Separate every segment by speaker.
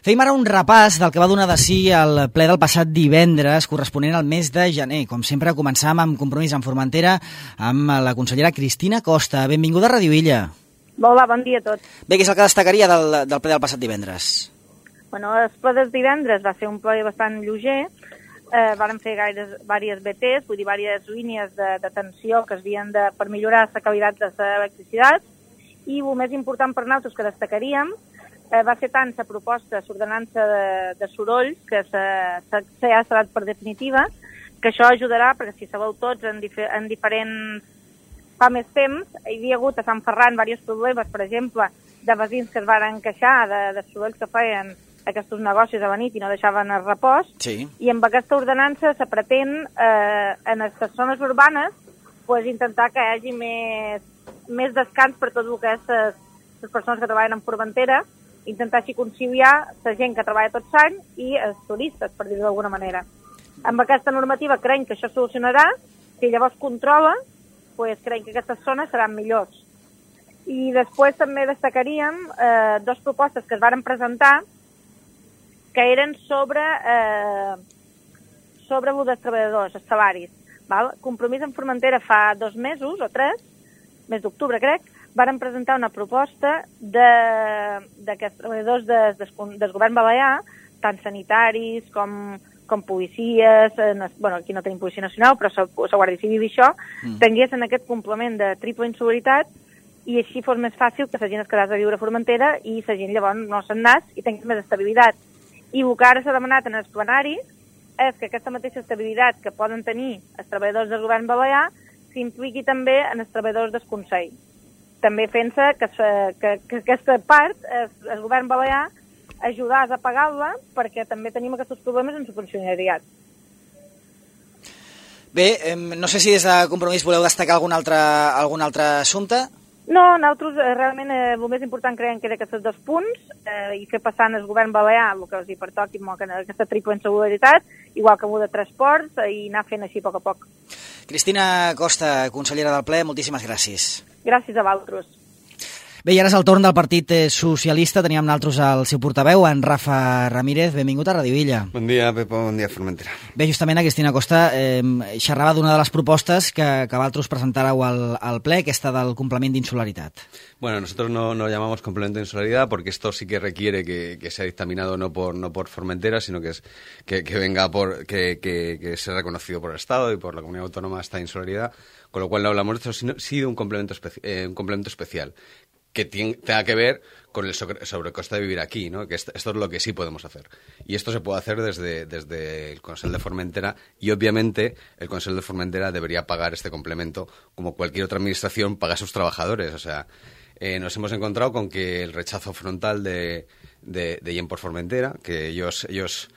Speaker 1: Fem ara un repàs del que va donar de si el ple del passat divendres, corresponent al mes de gener. Com sempre, començam amb Compromís en Formentera amb la consellera Cristina Costa. Benvinguda a Radio Illa.
Speaker 2: Hola, bon dia a tots.
Speaker 1: Bé, què és el que destacaria del ple del passat divendres?
Speaker 2: Bueno, el ple del divendres va ser un ple bastant lleuger. Varen fer diverses BTs, vull dir, diverses línies d'atenció que es havien per millorar la qualitat de l'electricitat. I el més important per nosaltres que destacaríem va ser tant la proposta d'ordenança de sorolls, que ja s'ha donat per definitiva, que això ajudarà, perquè si sabeu tots, en diferents... Fa més temps, hi havia hagut a Sant Ferran diversos problemes, per exemple, de veïns que es van queixar de sorolls que feien aquests negocis a la nit i no deixaven el repòs,
Speaker 1: sí.
Speaker 2: I amb aquesta ordenança se pretén, en les zones urbanes, intentar que hi hagi més descans per tot el que és les persones que treballen en Formentera, intentar així conciliar la gent que treballa tot l'any i els turistes, per dir-ho d'alguna manera. Amb aquesta normativa creiem que això solucionarà, si llavors controla, creiem que aquestes zones seran millors. I després també destacaríem dues propostes que es varen presentar que eren sobre els treballadors, els salaris. Val? Compromís en Formentera fa 2 mesos o 3, mes d'octubre crec, varen presentar una proposta que els treballadors del govern balear, tant sanitaris com policies, aquí no tenim policia nacional, però la Guàrdia Civil i això, tinguessin aquest complement de triple insolidaritat i així fos més fàcil que la gent es quedés a viure a Formentera i la gent llavors no se'n anés i tingués més estabilitat. I el que ara s'ha demanat en el plenari és que aquesta mateixa estabilitat que poden tenir els treballadors del govern balear s'impliqui també en els treballadors del Consell. També fent-se que aquesta part, el govern balear, ajudar a pagar-la perquè també tenim aquests problemes en la funcionariat.
Speaker 1: Bé, no sé si des de Compromís voleu destacar algun altre assumpte?
Speaker 2: No, nosaltres realment el més important creiem que era aquests 2 punts i fer passar el govern balear el que els hi pertoqui aquesta triple insolidaritat, igual que amb de transports, i anar fent així a poc a poc.
Speaker 1: Cristina Costa, consellera del ple, moltíssimes gràcies.
Speaker 2: Gràcies a vosaltres.
Speaker 1: Bé, i ara és el torn del Partit Socialista. Teníem nosaltres el seu portaveu, en Rafa Ramírez. Benvingut a Radio Illa.
Speaker 3: Bon dia, Pepo, bon dia, Formentera.
Speaker 1: Bé, justament a Cristina Costa xerrava d'una de les propostes que vosaltres presentàreu al ple, aquesta del complement d'insolidaritat.
Speaker 3: Bueno, nosotros no llamamos complemento de insularidad porque esto sí que requiere que sea dictaminado no por Formentera, sino que venga que sea reconocido por el Estado y por la Comunidad Autónoma esta insularidad, con lo cual no hablamos de eso, sí de un complemento especial que tenga que ver con el sobrecoste de vivir aquí, ¿no? Que esto es lo que sí podemos hacer. Y esto se puede hacer desde el Consell de Formentera y, obviamente, el Consell de Formentera debería pagar este complemento como cualquier otra administración paga a sus trabajadores. O sea, nos hemos encontrado con que el rechazo frontal de Gent Formentera, que ellos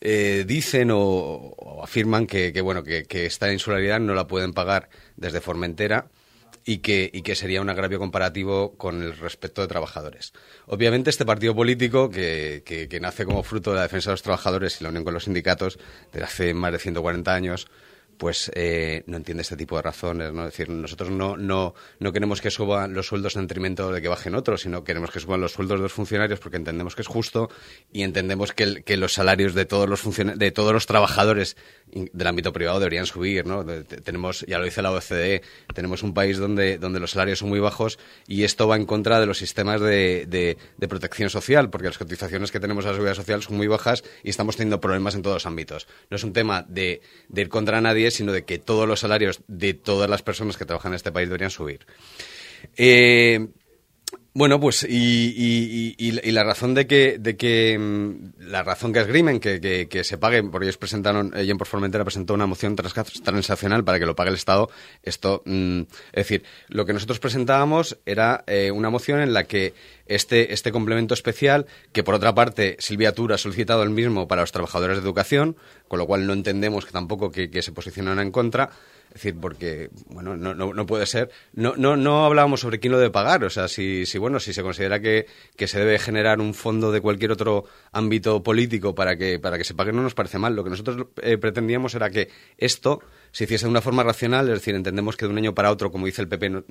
Speaker 3: dicen o afirman que esta insularidad no la pueden pagar desde Formentera y que sería un agravio comparativo con el respeto de trabajadores. Obviamente este partido político que nace como fruto de la defensa de los trabajadores y la unión con los sindicatos desde hace más de 140 años, pues no entiende este tipo de razones, ¿no? Es decir, nosotros no queremos que suban los sueldos en detrimento de que bajen otros, sino queremos que suban los sueldos de los funcionarios porque entendemos que es justo y entendemos que los salarios de todos los trabajadores del ámbito privado deberían subir, ¿no? Tenemos, ya lo dice la OCDE, tenemos un país donde los salarios son muy bajos y esto va en contra de los sistemas de protección social, porque las cotizaciones que tenemos a la seguridad social son muy bajas y estamos teniendo problemas en todos los ámbitos. No es un tema de ir contra nadie, sino de que todos los salarios de todas las personas que trabajan en este país deberían subir. Bueno, pues y la razón la razón que esgrimen que se pague, porque ellos presentaron, Gent por Formentera presentó una moción transaccional para que lo pague el Estado. Esto, es decir, lo que nosotros presentábamos era una moción en la que este complemento especial, que por otra parte Silvia Tura ha solicitado el mismo para los trabajadores de educación, con lo cual no entendemos que tampoco que se posicionan en contra. Es decir, porque, bueno, no puede ser. No hablábamos sobre quién lo debe pagar. O sea, si se considera que se debe generar un fondo de cualquier otro ámbito político para que se pague, no nos parece mal. Lo que nosotros pretendíamos era que esto se hiciese de una forma racional, es decir, entendemos que de un año para otro, como dice el PP,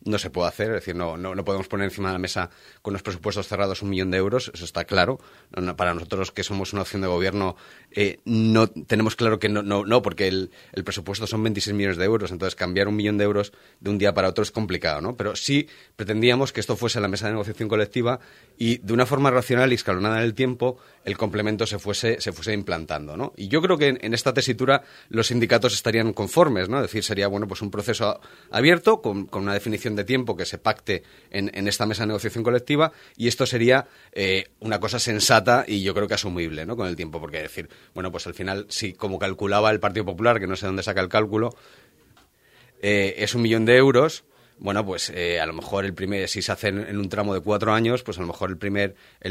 Speaker 3: no se puede hacer, es decir, no podemos poner encima de la mesa con los presupuestos cerrados 1 millón de euros, eso está claro. Para nosotros, que somos una opción de gobierno, no tenemos claro que no, porque el presupuesto son 26 millones de euros, entonces cambiar 1 millón de euros de un día para otro es complicado, ¿no? Pero sí pretendíamos que esto fuese la mesa de negociación colectiva y de una forma racional y escalonada en el tiempo el complemento se fuese implantando, ¿no? Y yo creo que en esta tesitura los sindicatos estarían conformes, ¿no? Es decir, sería pues un proceso abierto con una definición de tiempo que se pacte en esta mesa de negociación colectiva, y esto sería una cosa sensata y yo creo que asumible, ¿no? Con el tiempo, porque decir, pues al final, si como calculaba el Partido Popular, que no sé dónde saca el cálculo, es 1 millón de euros. Pues a lo mejor si se hace en un tramo de 4 años, pues a lo mejor el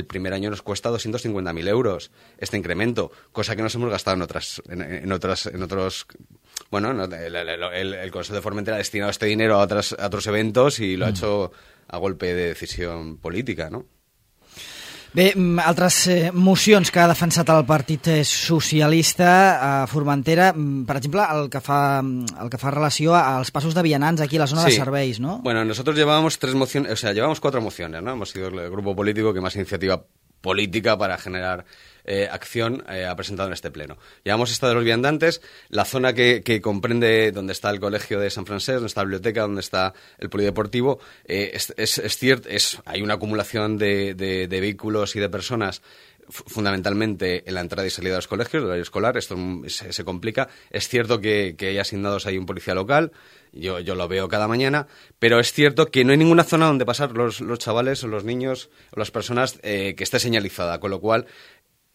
Speaker 3: primer año nos cuesta 250.000 euros este incremento, cosa que nos hemos gastado en otros. El Consejo de Formentera ha destinado este dinero a otros eventos y lo ha hecho a golpe de decisión política, ¿no?
Speaker 1: Bé, altres mocions que ha defensat el Partit Socialista a Formentera, per exemple, el que fa relació als passos de vianants aquí a la zona de serveis, ¿no?
Speaker 3: Bueno, nosotros llevábamos 4 mociones, ¿no? Hemos sido el grupo político que más iniciativa política para generar acción ha presentado en este pleno. Llevamos esta de los viandantes, la zona que comprende donde está el colegio de San Francés, donde está la biblioteca, donde está el polideportivo. Es cierto, hay una acumulación de vehículos y de personas fundamentalmente en la entrada y salida de los colegios, del horario escolar. Esto se complica. Es cierto que hay asignados ahí un policía local, yo lo veo cada mañana, pero es cierto que no hay ninguna zona donde pasar los chavales o los niños o las personas que esté señalizada, con lo cual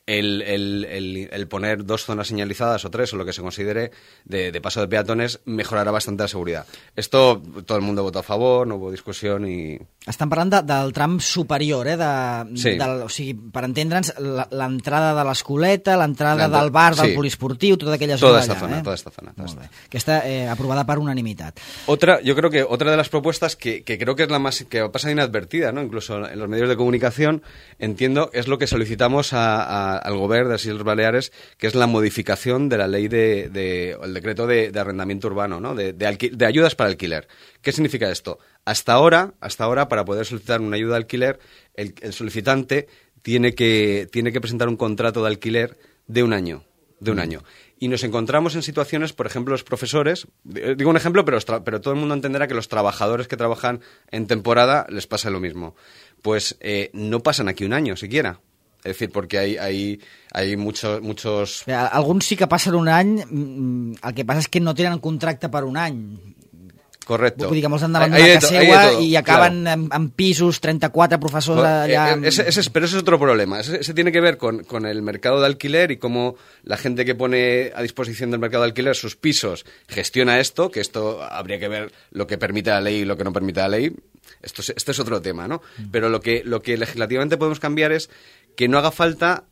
Speaker 3: el poner 2 zonas señalizadas o 3 o lo que se considere de paso de peatones mejorarà bastante la seguridad. Esto todo el mundo votó a favor, no hubo discussió i...
Speaker 1: Estan parlant del tram superior,
Speaker 3: sí.
Speaker 1: O sigui, per entendre'ns, l'entrada de l'Escoleta, l'entrada del bar, del poliesportiu, tota aquella zona d'allà.
Speaker 3: Toda esta zona.
Speaker 1: Molt bé. Que està aprovada per unanimitat.
Speaker 3: Yo creo que otra de las propuestas que creo que es la más que pasa inadvertida, ¿no? Incluso en los medios de comunicación, entiendo, es lo que solicitamos al Gobierno de las Islas Baleares, que es la modificación de la ley el decreto de arrendamiento urbano, ¿no? De ayudas para alquiler. ¿Qué significa esto? Hasta ahora, para poder solicitar una ayuda de alquiler, el solicitante tiene que presentar un contrato de alquiler de un año. Y nos encontramos en situaciones, por ejemplo, los profesores, digo un ejemplo, pero todo el mundo entenderá que los trabajadores que trabajan en temporada les pasa lo mismo. Pues no pasan aquí un año siquiera. Es decir, porque hay muchos...
Speaker 1: Alguns sí que passen un any, el que passa és que no tenen contracte per un any.
Speaker 3: Correcto.
Speaker 1: Vull dir que molts han davant d'una casa seua i acaben en pisos, 34 profesors allà...
Speaker 3: Pero ese es otro problema. Ese tiene que ver con el mercado de alquiler y cómo la gente que pone a disposición del mercado de alquiler sus pisos gestiona esto, que esto habría que ver lo que permite la ley y lo que no permite la ley. Esto es otro tema, ¿no? Pero lo que legislativamente podemos cambiar es que no haga falta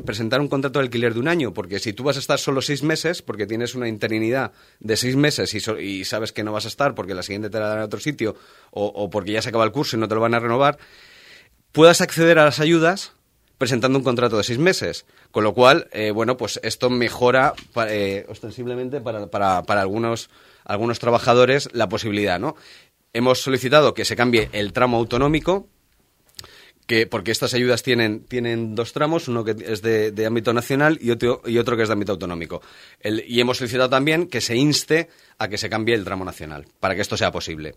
Speaker 3: presentar un contrato de alquiler de un año, porque si tú vas a estar solo 6 meses, porque tienes una interinidad de 6 meses y sabes que no vas a estar porque la siguiente te la dan en otro sitio o porque ya se acaba el curso y no te lo van a renovar, puedas acceder a las ayudas presentando un contrato de 6 meses. Con lo cual, pues esto mejora ostensiblemente para algunos trabajadores la posibilidad, ¿no? Hemos solicitado que se cambie el tramo autonómico, porque estas ayudas tienen 2 tramos, uno que es de ámbito nacional y otro que es de ámbito autonómico. Y hemos solicitado también que se inste a que se cambie el tramo nacional, para que esto sea posible.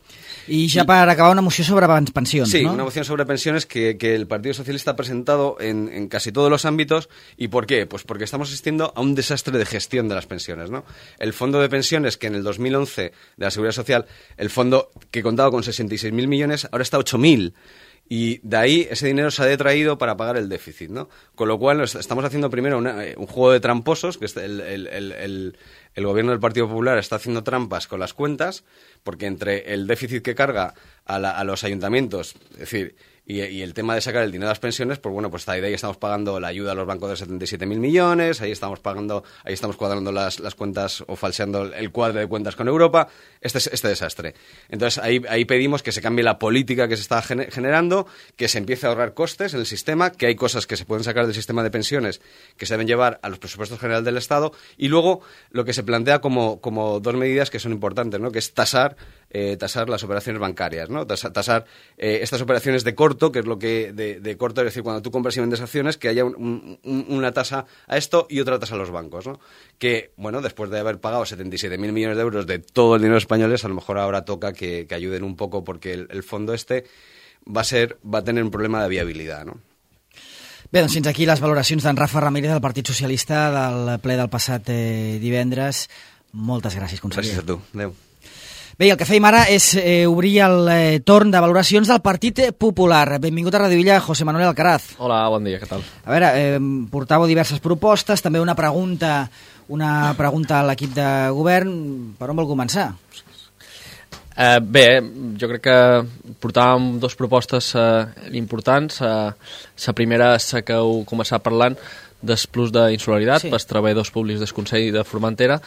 Speaker 1: Y ya para acabar, una moción sobre pensiones,
Speaker 3: sí,
Speaker 1: ¿no?
Speaker 3: Una moción sobre pensiones que el Partido Socialista ha presentado en casi todos los ámbitos. ¿Y por qué? Pues porque estamos asistiendo a un desastre de gestión de las pensiones, ¿no? El fondo de pensiones, que en el 2011 de la Seguridad Social, el fondo que contaba con 66.000 millones, ahora está a 8.000. Y de ahí ese dinero se ha detraído para pagar el déficit, ¿no? Con lo cual estamos haciendo primero un juego de tramposos, que el gobierno del Partido Popular está haciendo trampas con las cuentas, porque entre el déficit que carga a los ayuntamientos, es decir, Y el tema de sacar el dinero de las pensiones, pues bueno, pues está ahí, de ahí estamos pagando la ayuda a los bancos de 77.000 millones, ahí estamos cuadrando las cuentas o falseando el cuadro de cuentas con Europa, este desastre. Entonces ahí pedimos que se cambie la política que se está generando, que se empiece a ahorrar costes en el sistema, que hay cosas que se pueden sacar del sistema de pensiones que se deben llevar a los presupuestos generales del Estado, y luego lo que se plantea como dos medidas que son importantes, ¿no? Que es tasar las operaciones bancarias, ¿no? Tasar estas operaciones de corto, que es lo que de corto, es decir, cuando tú compras y vendes acciones, que haya una tasa a esto y otra tasa a los bancos, ¿no? Que, bueno, después de haber pagado 77.000 millones de euros de todo el dinero españoles, a lo mejor ahora toca que ayuden un poco, porque el fondo va a tener un problema de viabilidad, ¿no?
Speaker 1: Bé, doncs fins aquí les valoracions d'en Rafa Ramírez del Partit Socialista del ple del passat divendres. Moltes gràcies, conseller.
Speaker 3: Gràcies a tu. Adéu.
Speaker 1: Bé, el que fèiem ara és obrir el torn de valoracions del Partit Popular. Benvingut a Radio Illa, José Manuel Alcaraz.
Speaker 4: Hola, bon dia, què tal?
Speaker 1: A veure, portàveu diverses propostes, també una pregunta a l'equip de govern. Per on vol començar?
Speaker 4: Bé, jo crec que portàvem dues propostes importants. La primera és que heu començat parlant del plus d'insularitat pels treballadors públics del Consell de Formentera.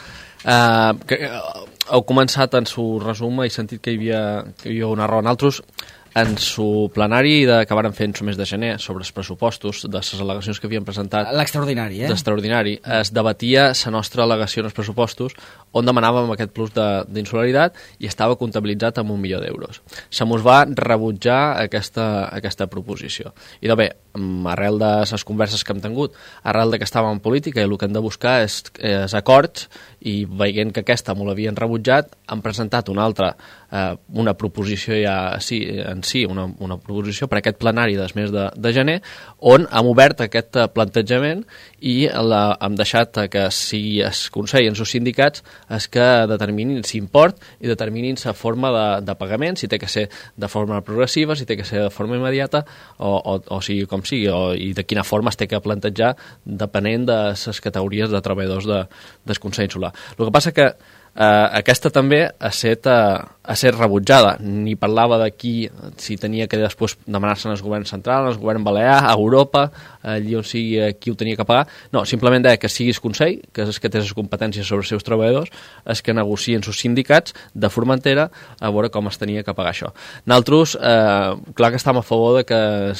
Speaker 4: Heu començat en su resum, he sentit que hi havia una raó en altres. En su plenari que varen fer en su mes de gener sobre els pressupostos de les al·legacions que havien presentat...
Speaker 1: L'extraordinari,
Speaker 4: L'extraordinari. Es debatia la nostra al·legació en els pressupostos on demanàvem aquest plus d'insularitat i estava comptabilitzat amb 1 milió d'euros. Se mos va rebutjar aquesta proposició. I bé, arrel de les converses que hem tingut, arrel que estàvem en política i el que hem de buscar és acords, i veient que aquesta m'ho l'havien rebutjat, han presentat una altra, una proposició una proposició per aquest plenari del mes de gener, on hem obert aquest plantejament i hem deixat que sigui el Consell i els sindicats els que determinin l'import i determinin la forma de pagament, si té que ser de forma progressiva, si té que ser de forma immediata o sigui com sigui, i de quina forma es té que plantejar depenent de les categories de treballadors del Consell Insular. El que passa que aquesta també ha set rebutjada. Ni parlava de si tenia que després demanar-se al govern central, al govern balear, a Europa, allí on sigui qui ho tenia que pagar. No, simplement deia que sigui el Consell, que és el que té les competències sobre els seus treballadors, els que negocien els sindicats de Formentera a veure com es tenia que pagar això. Nosaltres, clar que estem a favor de que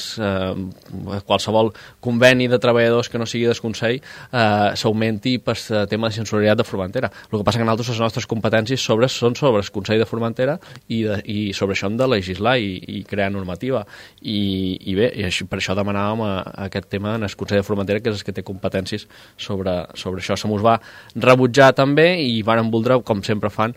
Speaker 4: qualsevol conveni de treballadors que no sigui del Consell s'augmenti per tema de censurariat de Formentera. El que passa que nosaltres les nostres competències són sobre el Consell de Formentera i sobre això hem de legislar i crear normativa. I bé, per això demanàvem aquest tema en el Consell de Formentera, que és el que té competències sobre això. Se mos va rebutjar també i van voldre, com sempre fan,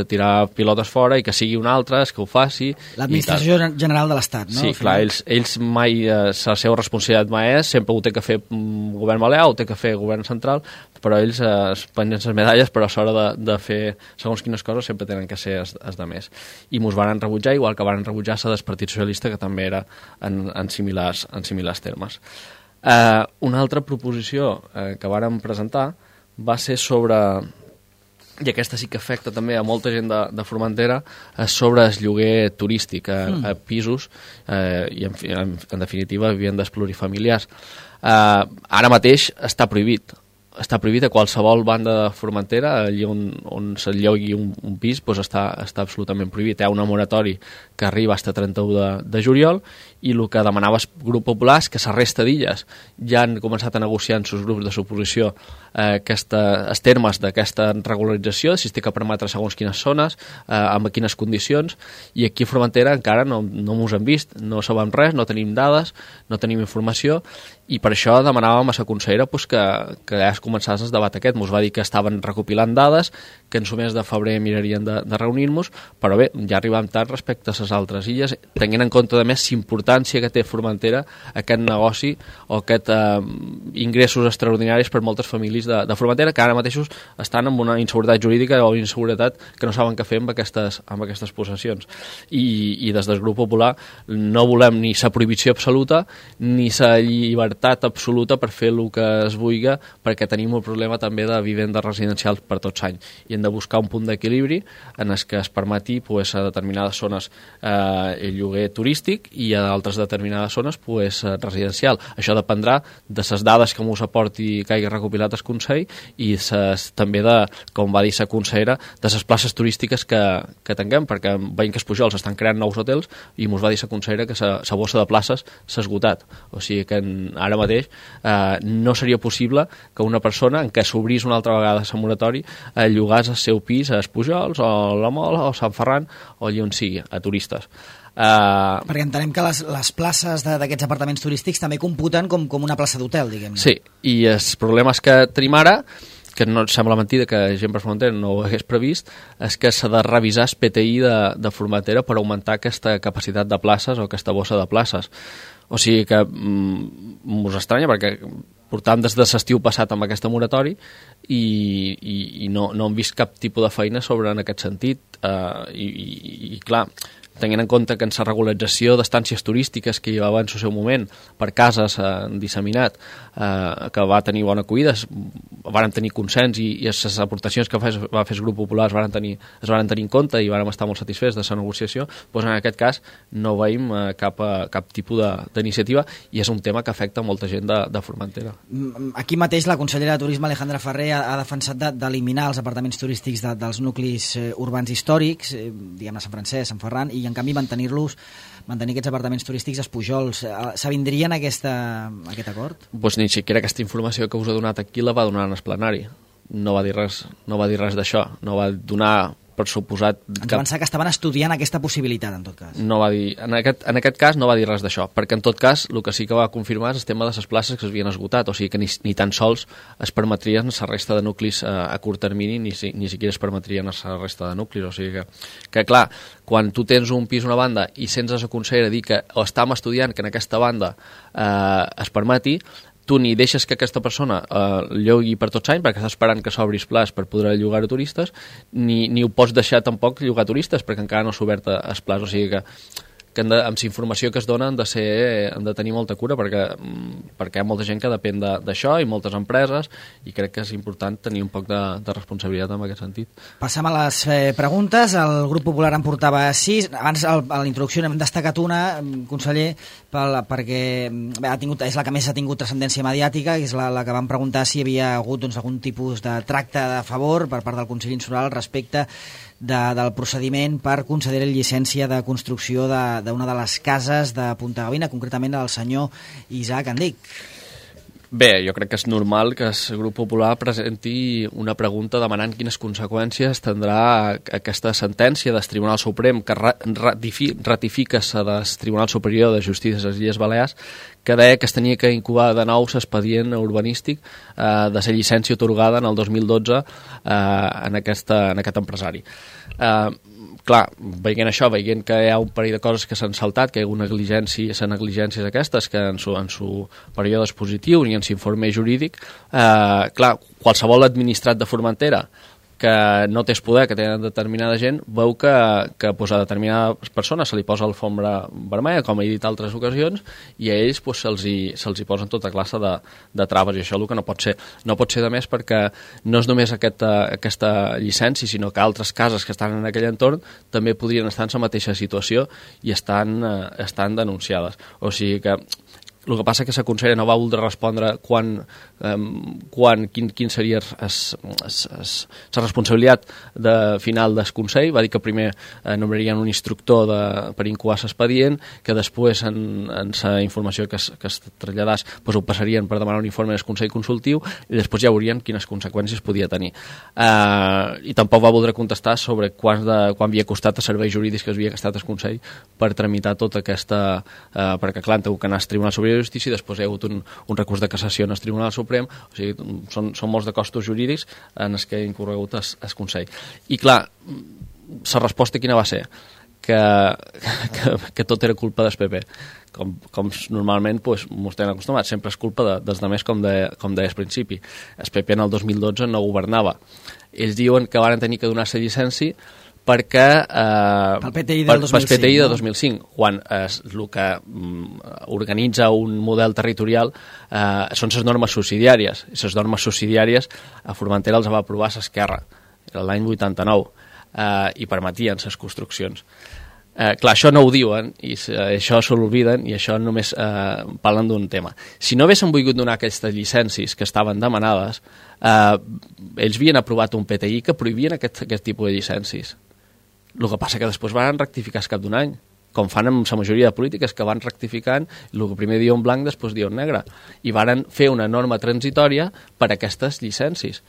Speaker 4: tirar pilotes fora i que sigui un altre que ho faci.
Speaker 1: L'Administració General de l'Estat, no?
Speaker 4: Sí, clar, ells mai, la seva responsabilitat mai és, sempre ho té que fer govern balear, ho té que fer govern central, però ells es pengen les medalles, però a l'hora de fer segons quines coses sempre tenen que ser els de més. I mos van rebutjar, igual que van rebutjar la del Partit Socialista, que també era en similars termes. Una altra proposició que vàrem presentar va ser sobre, i aquesta sí que afecta també a molta gent de Formentera, sobre el lloguer turístic a pisos i en definitiva vivendes plurifamiliars. Ara mateix està prohibit a qualsevol banda de Formentera, allí on s'enllogui un pis, doncs està absolutament prohibit. Hi ha una moratori que arriba fins a 31 de juliol, i el que demanava el grup popular és que la resta d'illes ja han començat a negociar en els grups de suposició els termes d'aquesta regularització, si es té que permetre segons quines zones, amb quines condicions, i aquí a Formentera encara no mos hem vist, no sabem res, no tenim dades, no tenim informació, i per això demanàvem a la consellera que ja es començés el debat aquest. Mos va dir que estaven recopilant dades, que en el mes de febrer mirarien de reunir-nos, però bé, ja arribem tard respecte a les altres illes, tenint en compte de més l'importància que té Formentera aquest negoci o aquest ingressos extraordinaris per moltes famílies de Formentera, que ara mateixos estan amb una inseguretat jurídica o inseguretat que no saben què fer amb aquestes possessions. I des del grup popular no volem ni la prohibició absoluta ni la llibertat llibertat absoluta per fer el que es vulgui, perquè tenim un problema també de vivendes residencials per tots anys, i hem de buscar un punt d'equilibri en el que es permeti pues, a determinades zones el lloguer turístic i a altres determinades zones pues, residencial. Això dependrà de les dades que ens aporti que hagi recopilat el Consell i també de, com va dir la consellera, de les places turístiques que tinguem, perquè veiem que els Pujols estan creant nous hotels i ens va dir la consellera que la bossa de places s'ha esgotat. O sigui que ara mateix no seria possible que una persona en què s'obrís una altra vegada el moratori llogàs el seu pis a Pujols o la Mola o Sant Ferran o allà on sigui, a turistes.
Speaker 1: Perquè entenem que les places d'aquests apartaments turístics també computen com una plaça d'hotel, diguem-ne.
Speaker 4: Sí, i els problemes que tenim ara, que no et sembla mentida que gent per Formentera no ho hagués previst, és que s'ha de revisar el PTI de Formentera per augmentar aquesta capacitat de places o aquesta bossa de places. O sigui que mos estranya perquè portàvem des de l'estiu passat amb aquesta moratori i no hem vist cap tipus de feina en aquest sentit i clar, tenint en compte que en la regularització d'estàncies turístiques que hi va en el seu moment per cases disseminat, que va tenir bona acollida, varen tenir consens i les aportacions que va fer el grup popular es varen tenir en compte i vàrem estar molt satisfets de la negociació, doncs en aquest cas no veiem cap tipus d'iniciativa i és un tema que afecta molta gent de Formentera.
Speaker 1: Aquí mateix la consellera de Turisme Alejandra Ferrer ha defensat d'eliminar els apartaments turístics dels nuclis urbans històrics, diguem-ne Sant Francesc, Sant Ferran, i en canvi mantenir aquests apartaments turístics als Pujols. S'avindrien a aquest acord?
Speaker 4: Doncs ni siquiera aquesta informació que us he donat aquí la va donar en el plenari. No va dir res d'això. No va donar per suposat...
Speaker 1: Ens va pensar que estaven estudiant aquesta possibilitat, en tot cas.
Speaker 4: No va dir, en aquest cas no va dir res d'això, perquè en tot cas el que sí que va confirmar és el tema de les places que s'havien esgotat, o sigui que ni tan sols es permetrien la resta de nuclis a curt termini, ni siquiera es permetrien la resta de nuclis, o sigui que clar, quan tu tens un pis a una banda i sents a la consellera dir que o estàvem estudiant que en aquesta banda es permeti, tu ni deixes que aquesta persona llogui per tots anys perquè està esperant que s'obris plaç per poder llogar a turistes, ni ho pots deixar tampoc llogar a turistes perquè encara no s'ha obert el plaç, o sigui que amb la informació que es dona han de tenir molta cura perquè hi ha molta gent que depèn d'això i moltes empreses i crec que és important tenir un poc de responsabilitat en aquest sentit.
Speaker 1: Passam a les preguntes. El grup popular en portava 6. Abans a la introducció n'hem destacat una, conseller, perquè és la que més ha tingut transcendència mediàtica, que és la que vam preguntar si hi havia hagut algun tipus de tracte de favor per part del Consell Insular respecte del procediment per concedir la llicència de construcció d'una de les cases de Punta Gavina, concretament el senyor Isaac Andic.
Speaker 4: Bé, jo crec que és normal que el grup popular presenti una pregunta demanant quines conseqüències tindrà aquesta sentència del Tribunal Suprem que ratifica del Tribunal Superior de Justícia de les Illes Balears, que deia que es tenia que incubar de nou l'expedient urbanístic de la llicència atorgada en el 2012 en aquest empresari. Clar, veient això, veient que hi ha un parell de coses que s'han saltat, que hi ha negligències aquestes, que en su període expositiu ni en l'informe jurídic, clar, qualsevol administrat de Formentera que no té poder, que tenen determinada gent, veu que a determinades persones se li posa alfombra vermella, com he dit altres ocasions, i a ells se'ls hi posen tota classe de traves, i això el que no pot ser. No pot ser, de més, perquè no és només aquesta llicència, sinó que altres cases que estan en aquell entorn també podrien estar en la mateixa situació i estan denunciades. O sigui que el que passa és que la consellera no va voler respondre quin seria la responsabilitat final del Consell. Va dir que primer nombrarien un instructor per incoar l'expedient, que després en la informació que es traslladàs ho passarien per demanar un informe del Consell Consultiu i després ja veurien quines conseqüències podia tenir. I tampoc va voler contestar sobre quan havia costat els serveis jurídics que havia gastat el Consell per tramitar tota aquesta... perquè clar, heu que anar al Tribunal Superior de Justícia i després hi ha hagut un recurs de cassació en el Tribunal Suprem, o sigui, són molts de costos jurídics en els que ha incorregut el Consell. I clar, la resposta quina va ser? Que tot era culpa del PP. Com normalment ens tenen acostumats, sempre és culpa dels altres, com deia al principi. El PP en el 2012 no governava. Ells diuen que van tenir que donar-se llicència perquè...
Speaker 1: Pel PTI del 2005.
Speaker 4: Pel PTI de 2005, quan el que organitza un model territorial són les normes subsidiàries. I les normes subsidiàries a Formentera els va aprovar l'Esquerra, l'any 89, i permetien les construccions. Clar, això no ho diuen, i això se l'olviden, i això només parlen d'un tema. Si no haguessin volgut donar aquestes llicències que estaven demanades, ells havien aprovat un PTI que prohibien aquest tipus de llicències. El que passa que després van rectificar al cap d'un any, com fan amb la majoria de polítiques, que van rectificant, el que primer dia en blanc, després dia en negre, i varen fer una norma transitòria per a aquestes llicències.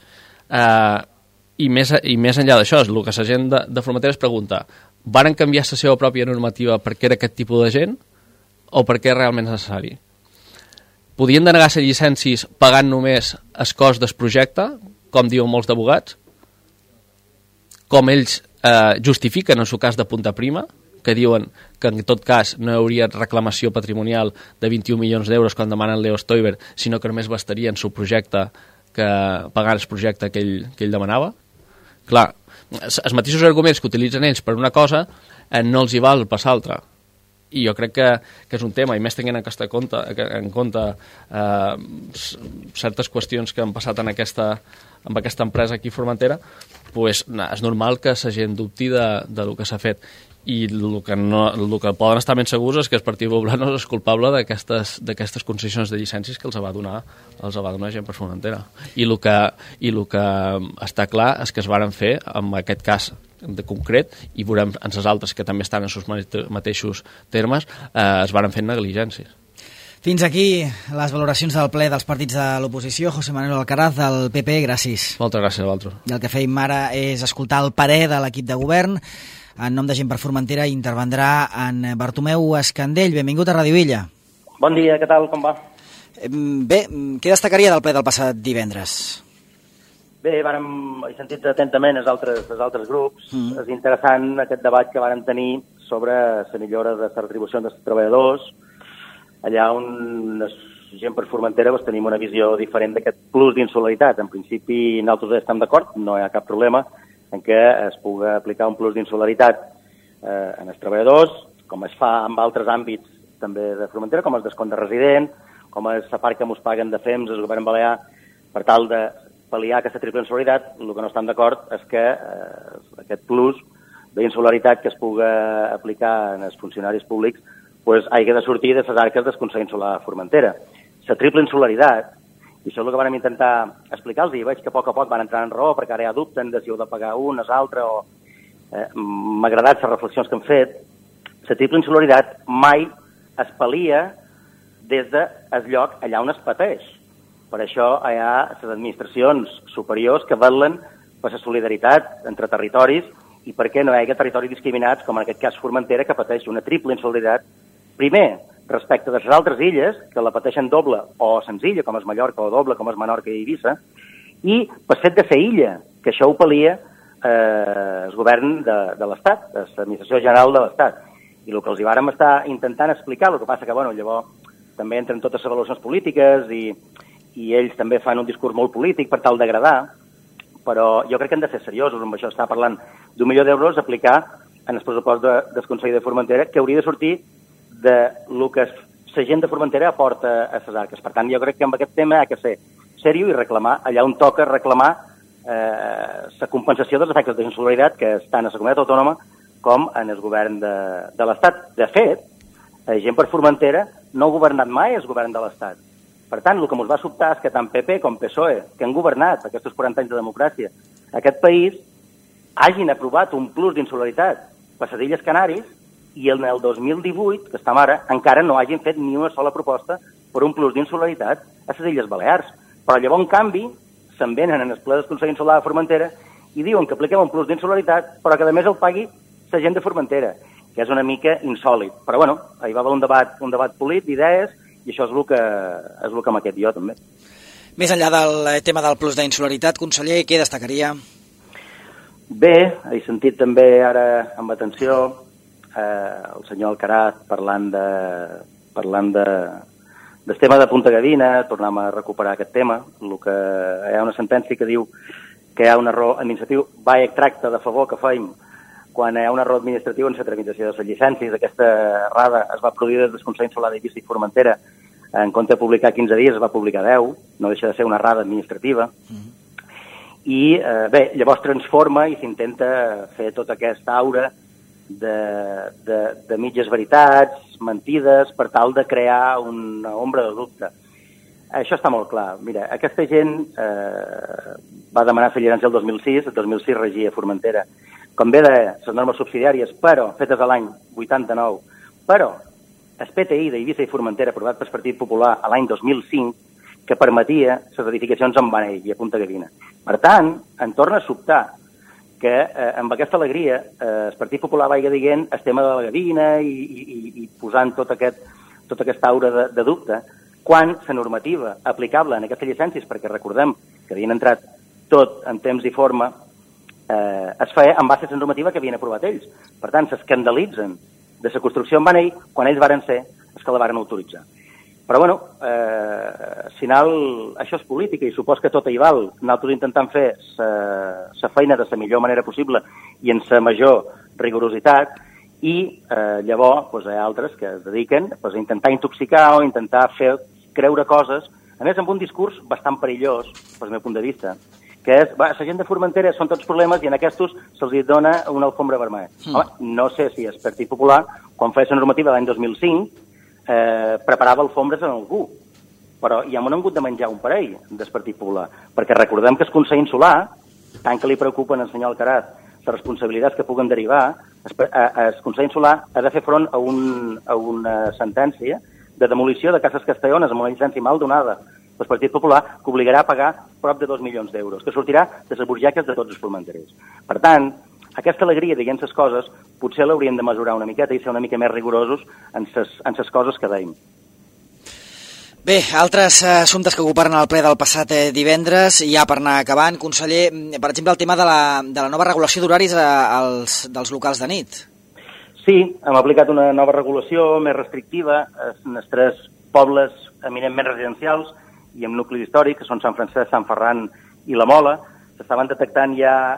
Speaker 4: I més enllà d'això, el que la gent de Formentera es pregunta: varen canviar la seva pròpia normativa perquè era aquest tipus de gent o perquè és realment necessari? Podien denegar les llicències pagant només el cost del projecte, com diuen molts d'abogats, com ells justifiquen en el cas de Punta Prima, que diuen que en tot cas no hi hauria reclamació patrimonial de 21 milions d'euros quan demanen Leo Stoiber, sinó que només bastaria en el projecte que pagar el projecte que ell demanava. Clar, els mateixos arguments que utilitzen ells per una cosa no els hi val per l'altra. I jo crec que és un tema, i més tenint en compte certes qüestions que han passat amb aquesta empresa aquí a Formentera, pues, és normal que la gent dubti del que s'ha fet. I el que poden estar ben segurs és que el Partit Popular no és culpable d'aquestes concessions de llicències que els va donar gent per Formentera. I el que està clar és que es varen fer en aquest cas de concret, i veurem en les altres que també estan en els mateixos termes, es varen fer negligències.
Speaker 1: Fins aquí les valoracions del ple dels partits de l'oposició. José Manuel Alcaraz, del PP, gràcies.
Speaker 4: Moltes gràcies a vosaltres.
Speaker 1: I el que feim ara és escoltar el parer de l'equip de govern. En nom de Gent per Formentera intervendrà en Bartomeu Escandell. Benvingut a Radio Illa.
Speaker 5: Bon dia, què tal, com va?
Speaker 1: Bé, què destacaria del ple del passat divendres?
Speaker 5: Bé, he sentit atentament els altres grups. És interessant aquest debat que vàrem tenir sobre la millora de les retribucions dels treballadors, allà on Gent per Formentera tenim una visió diferent d'aquest plus d'insolidaritat. En principi, nosaltres estem d'acord, no hi ha cap problema en què es pugui aplicar un plus d'insolidaritat en els treballadors, com es fa en altres àmbits també de Formentera, com el descompte de resident, com és la part que ens paguen de FEMS, el govern balear, per tal de pal·liar aquesta triple insolidaritat. El que no estan d'acord és que aquest plus d'insolidaritat que es pugui aplicar en els funcionaris públics hagi de sortir de les arques del Consell Insular de Formentera. La triple insolidaritat, i això és el que vam intentar explicar-los, i veig que a poc van entrar en raó, perquè ara ja dubten de si heu de pagar un, és altre, o... M'ha agradat les reflexions que han fet. La triple insolidaritat mai es pal·lia des del lloc allà on es pateix. Per això hi ha les administracions superiors que vetllen per la solidaritat entre territoris i perquè no hi hagi territoris discriminats, com en aquest cas Formentera, que pateix una triple insolidaritat. Primer, respecte de les altres illes, que la pateixen doble o senzilla, com és Mallorca, o doble, com és Menorca i Eivissa, i per fet de ser illa, que això ho pal·lia el govern de l'Estat, l'Administració General de l'Estat. I el que els hi vàrem estar intentant explicar, el que passa que, llavors també entren totes les avaluacions polítiques i ells també fan un discurs molt polític per tal d'agradar, però jo crec que hem de ser seriosos amb això. Està parlant d'1 milió d'euros a aplicar en el pressupost del Consell de Formentera, que hauria de sortir de lo que la gent de Formentera aporta a les arques. Per tant, jo crec que amb aquest tema ha de ser seriós i reclamar, allà on toca reclamar la compensació dels efectes d'insolidaritat que estan a la comunitat autònoma com en el govern de l'Estat. De fet, Gent per Formentera no ha governat mai el govern de l'Estat. Per tant, el que ens va sobtar és que tant PP com PSOE, que han governat aquests 40 anys de democràcia, aquest país, hagin aprovat un plus d'insolidaritat per les Illes Canàries i en el 2018, que estem ara, encara no hagin fet ni una sola proposta per un plus d'insolidaritat a les Illes Balears. Però llavors, en canvi, se'n venen en el ple del Consell Insular de Formentera i diuen que apliquem un plus d'insolidaritat, però que a més el pagui la gent de Formentera, que és una mica insòlid. Però hi va haver un debat polític d'idees, i això és el que m'ha quedat jo, també.
Speaker 1: Més enllà del tema del plus d'insolidaritat, conseller, què destacaria?
Speaker 5: Bé, he sentit també ara amb atenció el senyor Alcaraz parlant del tema de Punta Gadina, tornem a recuperar aquest tema, hi ha una sentència que diu que hi ha un error administratiu, va tracta de favor que fem quan hi ha un error administratiu en la tramitació de les llicències. Aquesta errada es va produir des del Consell Insular d'Eivissa i Formentera. En compte de publicar 15 dies, es va publicar 10. No deixa de ser una errada administrativa. I, bé, llavors transforma i s'intenta fer tota aquesta aura de mitges veritats, mentides, per tal de crear una ombra de dubte. Això està molt clar. Mira, aquesta gent va demanar fer llicència el 2006, el 2006 regia Formentera. Com bé de les normes subsidiàries, però fetes a l'any 89, però el PTI d'Eivissa i Formentera, aprovat pel Partit Popular a l'any 2005, que permetia les edificacions en Vanell i a Punta Gavina. Per tant, en torna a sobtar que amb aquesta alegria el Partit Popular vagi dient el tema de la Gavina i posant tota aquesta aura de dubte, quan la normativa aplicable en aquestes llicències, perquè recordem que havien entrat tot en temps i forma, es feia en base a la normativa que havien aprovat ells. Per tant, s'escandalitzen de la construcció en Vanell quan ells varen ser els que la varen autoritzar. Però, bueno, al final això és política i supos que tot hi val. Nosaltres intentant fer la feina de la millor manera possible i en la major rigorositat i llavors hi ha altres que es dediquen a intentar intoxicar o intentar fer creure coses, a més amb un discurs bastant perillós, pel meu punt de vista, que és, la gent de Formentera són tots problemes i en aquests se'ls dona una alfombra vermella. Home, no sé si el Partit Popular, quan feia la normativa l'any 2005, preparava alfombres en algú, però ja m'ho han hagut de menjar un parell del Partit Popular, perquè recordem que el Consell Insular, tant que li preocupen al senyor Alcaraz les responsabilitats que puguen derivar, el Consell Insular ha de fer front a una sentència de demolició de cases castellones amb una llicència mal donada pel Partit Popular, que obligarà a pagar prop de 2 milions d'euros, que sortirà de les burgeques de tots els formenterers. Per tant, aquesta alegria dient les coses potser l'hauríem de mesurar una miqueta i ser una mica més rigorosos en les coses que deim.
Speaker 1: Bé, altres assumptes que ocuparan el ple del passat divendres, ja per anar acabant, conseller, per exemple, el tema de la nova regulació d'horaris dels locals de nit.
Speaker 5: Sí, hem aplicat una nova regulació més restrictiva en els 3 pobles eminentment residencials i amb nuclis històrics, que són Sant Francesc, Sant Ferran i La Mola. S'estaven detectant ja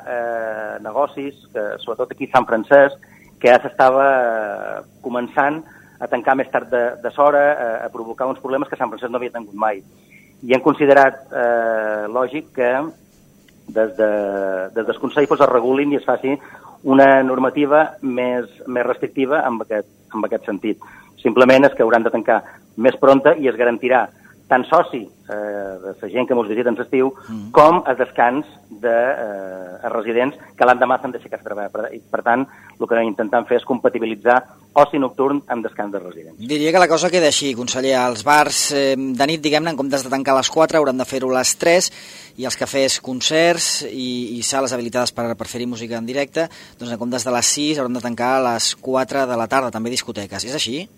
Speaker 5: negocis, sobretot aquí a Sant Francesc, que ja s'estava començant a tancar més tard de l'hora, a provocar uns problemes que Sant Francesc no havia tingut mai. I hem considerat lògic que des del Consell es regulin i es faci una normativa més restrictiva en aquest sentit. Simplement és que hauran de tancar més prompte i es garantirà tant soci de la gent que ens visita en l'estiu com el descans de residents que l'endemà s'han d'aixecar a treballar. Per tant, el que intentem fer és compatibilitzar oci nocturn amb descans de residents.
Speaker 1: Diria que la cosa queda així, conseller. Els bars de nit, diguem-ne, en comptes de tancar a les 4, hauran de fer-ho a les 3, i els cafès, concerts i sales habilitades per fer-hi música en directe, doncs en comptes de les 6 hauran de tancar a les 4 de la tarda, també discoteques. És així?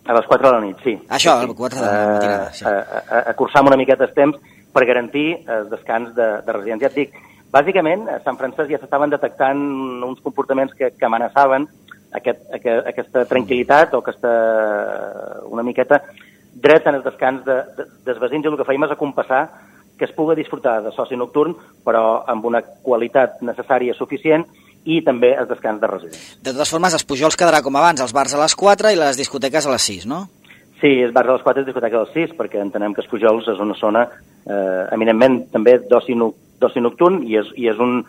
Speaker 5: A les 4 de la nit, sí.
Speaker 1: Això,
Speaker 5: sí.
Speaker 1: A les 4 de la matinada, sí.
Speaker 5: Acurçar una miqueta el temps per garantir el descans de residents. Ja et dic, bàsicament, a Sant Francesc ja s'estaven detectant uns comportaments que amenaçaven aquesta tranquil·litat o una miqueta dret en el descans dels veïns, i el que fèiem és acompassar que es pugui disfrutar de soci nocturn, però amb una qualitat necessària suficient, i també el descans de residents.
Speaker 1: De totes formes, els Pujols quedarà com abans, els bars a les 4 i les discoteques a les 6, no?
Speaker 5: Sí, els bars a les 4 i les discoteques a les 6, perquè entenem que els Pujols és una zona eminentment també d'oci nocturn i és un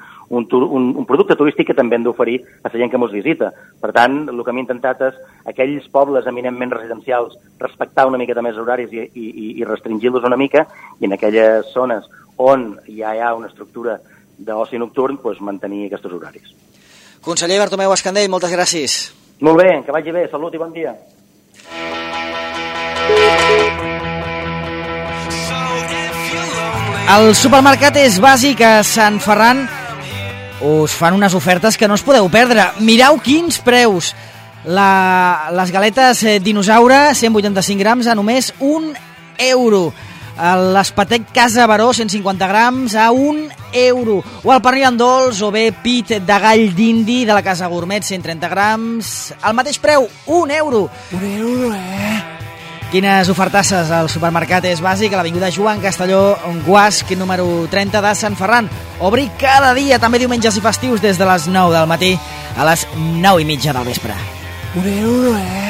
Speaker 5: producte turístic que també hem d'oferir a la gent que ens visita. Per tant, el que hem intentat és aquells pobles eminentment residencials respectar una miqueta més horaris i restringir-los una mica, i en aquelles zones on ja hi ha una estructura d'oci nocturn, doncs mantenir aquests horaris.
Speaker 1: Conseller Bartomeu Escandell, moltes gràcies.
Speaker 5: Molt bé, que vagi bé, salut i bon dia.
Speaker 1: El supermercat és bàsic a Sant Ferran. Us fan unes ofertes que no us podeu perdre. Mireu quins preus. Les galetes dinosaure, 185 grams, a només €1. L'espatec Casa Baró, 150 grams, a €1. O el pernil amb dolç o bé pit de gall d'indi de la Casa Gourmet, 130 grams, al mateix preu, €1. €1, Quines ofertasses al supermercat és bàsic a l'avinguda Joan Castelló, Guasc, número 30 de Sant Ferran. Obri cada dia, també diumenges i festius, des de les 9 del matí a les 9:30 del vespre.
Speaker 6: €1,